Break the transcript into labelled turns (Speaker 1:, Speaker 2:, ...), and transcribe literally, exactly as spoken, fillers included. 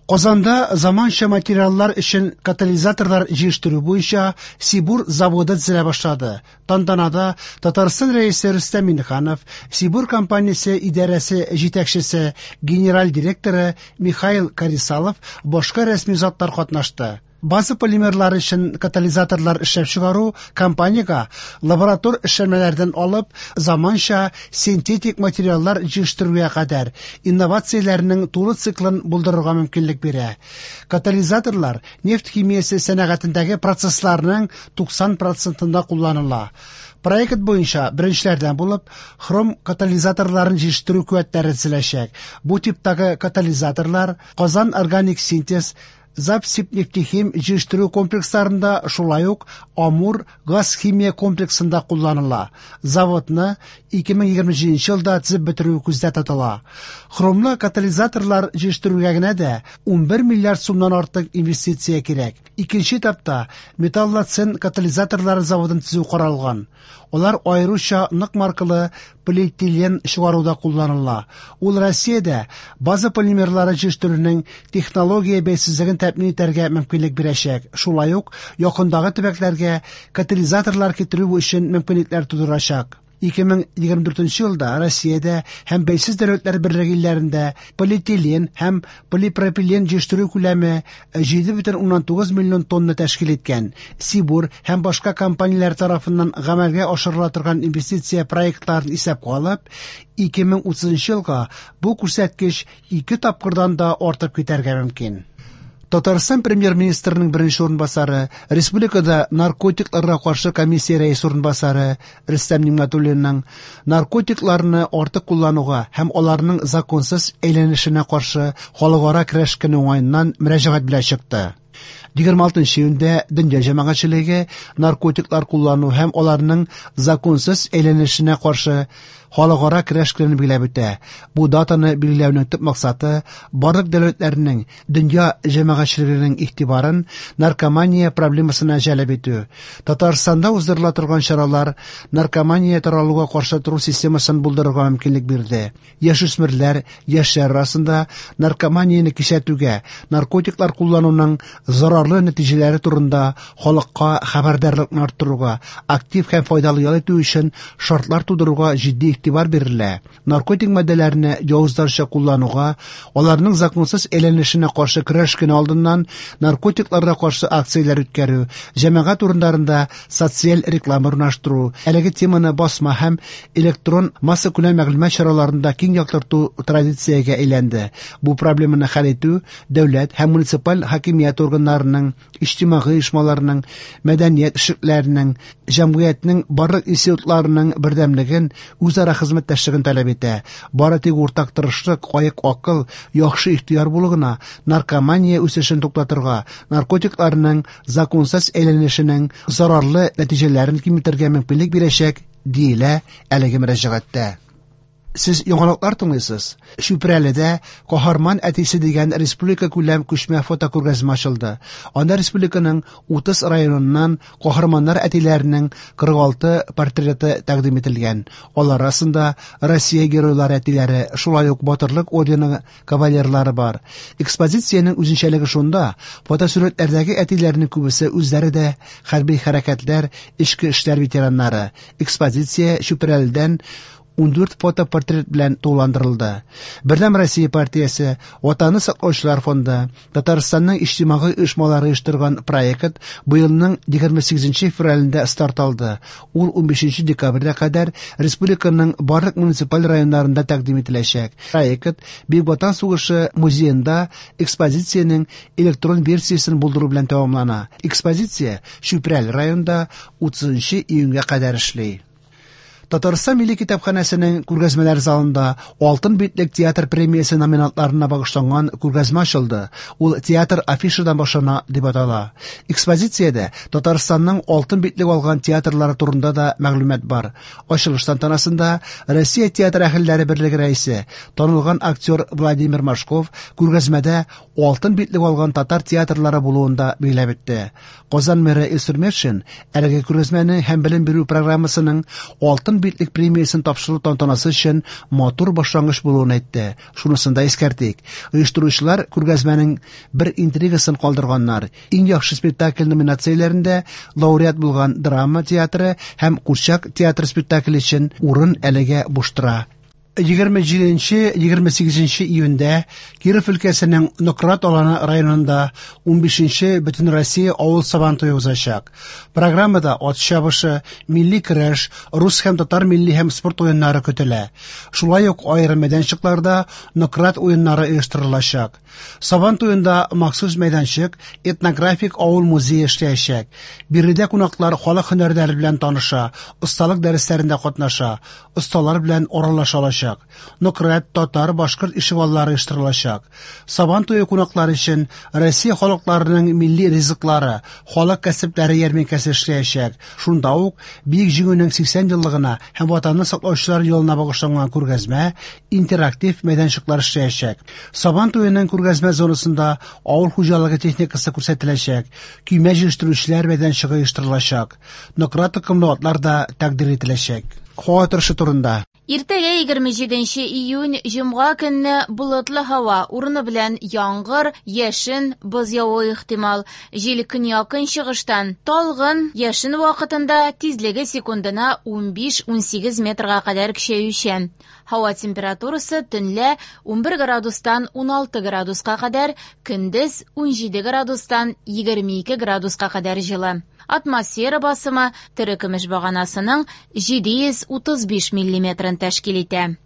Speaker 1: Казанда заманча материаллар өчен катализаторлар җитештерү буенча Сибур заводы төзелә башлады. Тантанада Татарстан Рәисе Рөстәм Миңнеханов, Сибур компаниясе идарәсе җитәкчесе, генераль директоры Михаил Карисалов, башка рәсми затлар катнашты. База полимерлары өчен катализаторлар эшләп чыгару компаниягә лаборатор эшләнмәләрдән алып заманча синтетик материаллар җитештерүгә кадәр инновацияләрнең тулы циклын булдырырга мөмкинлек бирә. Катализаторлар нефть химиясе сәнәгатендәге процессларның туксан процентында кулланыла. Проект буенча беренчеләрдән булып хром катализаторларын җитештерү куәтләре төзеләчәк. Бу типтагы катализаторлар Казан органик синтез, Запсибнефтехим җитештерү комплексларында, шулай ук Амур газ-химия комплексында кулланыла. Заводны ике мең егерме җиденче елда төзеп бетерү күздә тотыла. Хромлы катализаторлар җитештерүгә генә дә унбер миллиард сумнан артык инвестиция кирәк. Икенче этапта металлоцен катализаторлары заводын төзү каралган. Алар аеруча нык маркалы полиэтилен чыгаруда кулланыла. Ул Россиядә база полимерлары җитештерүнең технология бәйсезлеген тәэмин итәргә мөмкинлек бирәчәк. Шулай ук якындагы төбәкләргә катализаторлар китерү өчен мөмкинлекләр тудырачак. Ике мең егерме дүртенче елда Россиядә һәм Бәйсез Дәүләтләр Берлеге илләрендә полиэтилен һәм полипропилен җитештерү күләме җиде бөтен уннан тугыз миллион тонна тәшкил иткән. Сибур һәм башка компанияләр тарафыннан гамәлгә ашырыла торган инвестиция проектларын исәпкә алып, ике мең утызынчы елга бу күрсәткеч ике тапкырдан да артып китәргә мөмкин. Татарстан премьер-министрының беренче урынбасары, республикада наркотикларга каршы комиссия рәисе урынбасары Рөстәм Нигъмәтуллинның наркотикларны артык куллануга һәм аларның законсыз әйләнешенә каршы халыкара көрәш көне уңаеннан мөрәҗәгать белән чыкты. Егерме алтынчы июньдә дөнья җәмәгатьчелеге наркотиклар куллану һәм аларның законсыз әйләнешенә каршы халыкара көрәш көнен билгеләп үтә. Бу датаны билгеләүнең төп максаты барлык дәүләтләрнең дөнья җәмәгатьчелегенең игътибарын наркомания проблемасына җәлеп итү. Татарстанда уздырыла торган чаралар наркомания таралуга каршы тору системасын булдырырга мөмкинлек бирде. Яшүсмерләр, яшьләр арасында наркоманияне кисәтүгә, наркотиклар куллануның зарарлы нәтиҗәләре турында халыкка хәбәрдарлыкны арттыруга, актив һәм файдалы ял итү өчен шартлар тудыруга җитди игътибар бирелә. Наркотик матдәләрне явызларча куллануга, аларның законсыз әйләнешенә каршы көрәш көне алдыннан наркотикларга каршы акцияләр үткәрү, җәмәгать урыннарында социаль реклама урнаштыру, әлеге теманы басма һәм электрон массакүләм мәгълүмат чараларында киң яктырту традициягә әйләнде. Бу проблеманы хәл итү дәүләт һәм муниципаль хакимият органнарының, иҗтимагый оешмаларының, мәдәният эшлекләренең, җәмгыятьнең барлык институтларының бердәмлеген, үзара хезмәттәшлеген таләп итә. Бары тик уртак тырышлык, аек акыл, яхшы ихтыяр булу гына наркомания үсешен туктатырга, наркотикларның законсыз әйләнешенең зарарлы нәтиҗәләрен киметергә мөмкинлек бирәчәк, диелә әлеге мөрәҗәгатьтә. Сез яңалыклар тыңлыйсыз. Чүпрәледә Каһарман әтисе дигән республика күләм күчмә фотокүргәзмә ачылды. Анда республиканың утыз районыннан каһарманнар әтиләренең кырык алты портреты тәкъдим ителгән. Алар арасында Россия геройлары әтиләре, шулай ук Батырлык ордены кавалерлары бар. Экспозициянең үзенчәлеге шунда, фотосурәтләрдәге әтиләрнең күбесе үзләре дә хәрби хәрәкәтләр, эчке эшләр ветераннары. Экспозиция Чүпрәледән ундүрт фотопортрет белән тулыландырылды. Бердәм Россия партиясе, Ватанны саклаучылар фонды, Татарстанның иҗтимагый оешмалары оештырган проект быелның егерме сигезенче февралендә старт алды. Ул унбишенче декабрьгә кадәр республиканың барлык муниципаль районнарында тәкъдим ителәчәк. Проект Бөек Ватан сугышы музеенда экспозициянең электрон версиясен булдыру белән тәмамлана. Экспозиция Чүпрәл районында утызынчы июньгә кадәр эшли. Татарстан Милли китапханәсенең күргәзмәләр залында Алтын битлек театр премиясе номинантларына багышланган күргәзмә ачылды. Ул театр афишадан башлана дип атала. Экспозициядә Татарстанның алтын битлек алган театрлары турында да мәгълүмат бар. Ачылыш тантанасында Россия театр әһелләре берлеге рәисе, танылган актер Владимир Машков күргәзмәдә алтын битлек алган татар театрлары булуын да билгеләп үтте. Казан мэры Илсур Метшин әлеге күргәзмәне һәм белем бирү программасының алтын Алтын битлек премиясен тапшыру тантанасы өчен матур башлангыч булуын әйтте. Шунысын да искәртик, оештыручылар күргәзмәнең бер интригасын калдырганнар. Иң яхшы спектакль номинацияләрендә лауреат булган драма театры һәм курчак театры спектакле өчен урын әлегә буш тора. егерме җиденче-егерме сигезенче июньдә Киров өлкәсенең Нократ Аланы районында унбишенче Бөтенроссия авыл сабантуе узачак. Программада ат чабышы, милли көрәш, рус һәм татар милли һәм спорт уеннары көтелә. Шулай ук аерым мәйданчыкларда Нократ уеннары оештырылачак. Сабан туенда махсус мәйданчык, этнографик авыл музее эшләячәк. Биредә кунаклар халык һөнәрләре белән таныша, осталык дәресләрендә катнаша, осталар белән аралаша алачак. Нократ, татар, башкорт ишегаллары оештырылачак. Сабан туе кунаклары өчен Россия халыкларының милли ризыклары, халык кәсепләре ярминкәсе эшләячәк. Шунда ук Бөек Җиңүнең сиксән еллыгына һәм Ватанны саклаучылар елына багышланган күргәзмә, интерактив мәйданчыклар эшләячәк. Сабан туеның күргәзмә зонасында авыл хуҗалыгы техникасы күрсәтеләчәк, көймә җыештыручылар мәйданчыгы оештырылачак. Нократ токымлы атлар да тәкъдир ителәчәк. Һава торышы турында.
Speaker 2: Иртәгә егерме җиденче июнь җомга көнне болытлы һава, урыны белән яңгыр, яшен, боз явуы ихтимал. Җил көньяк-көнчыгыштан талгын, яшен вакытында тизлеге секундына унбиш-унсигез метрга кадәр көчәючән. Һава температурасы төнлә унбер градустан уналты градуска кадәр, көндез унҗиде градустан егерме ике градуска кадәр җылы. Атмосфера басымы терекөмеш баганасының җиде йөз утыз биш миллиметрын тәшкил итә.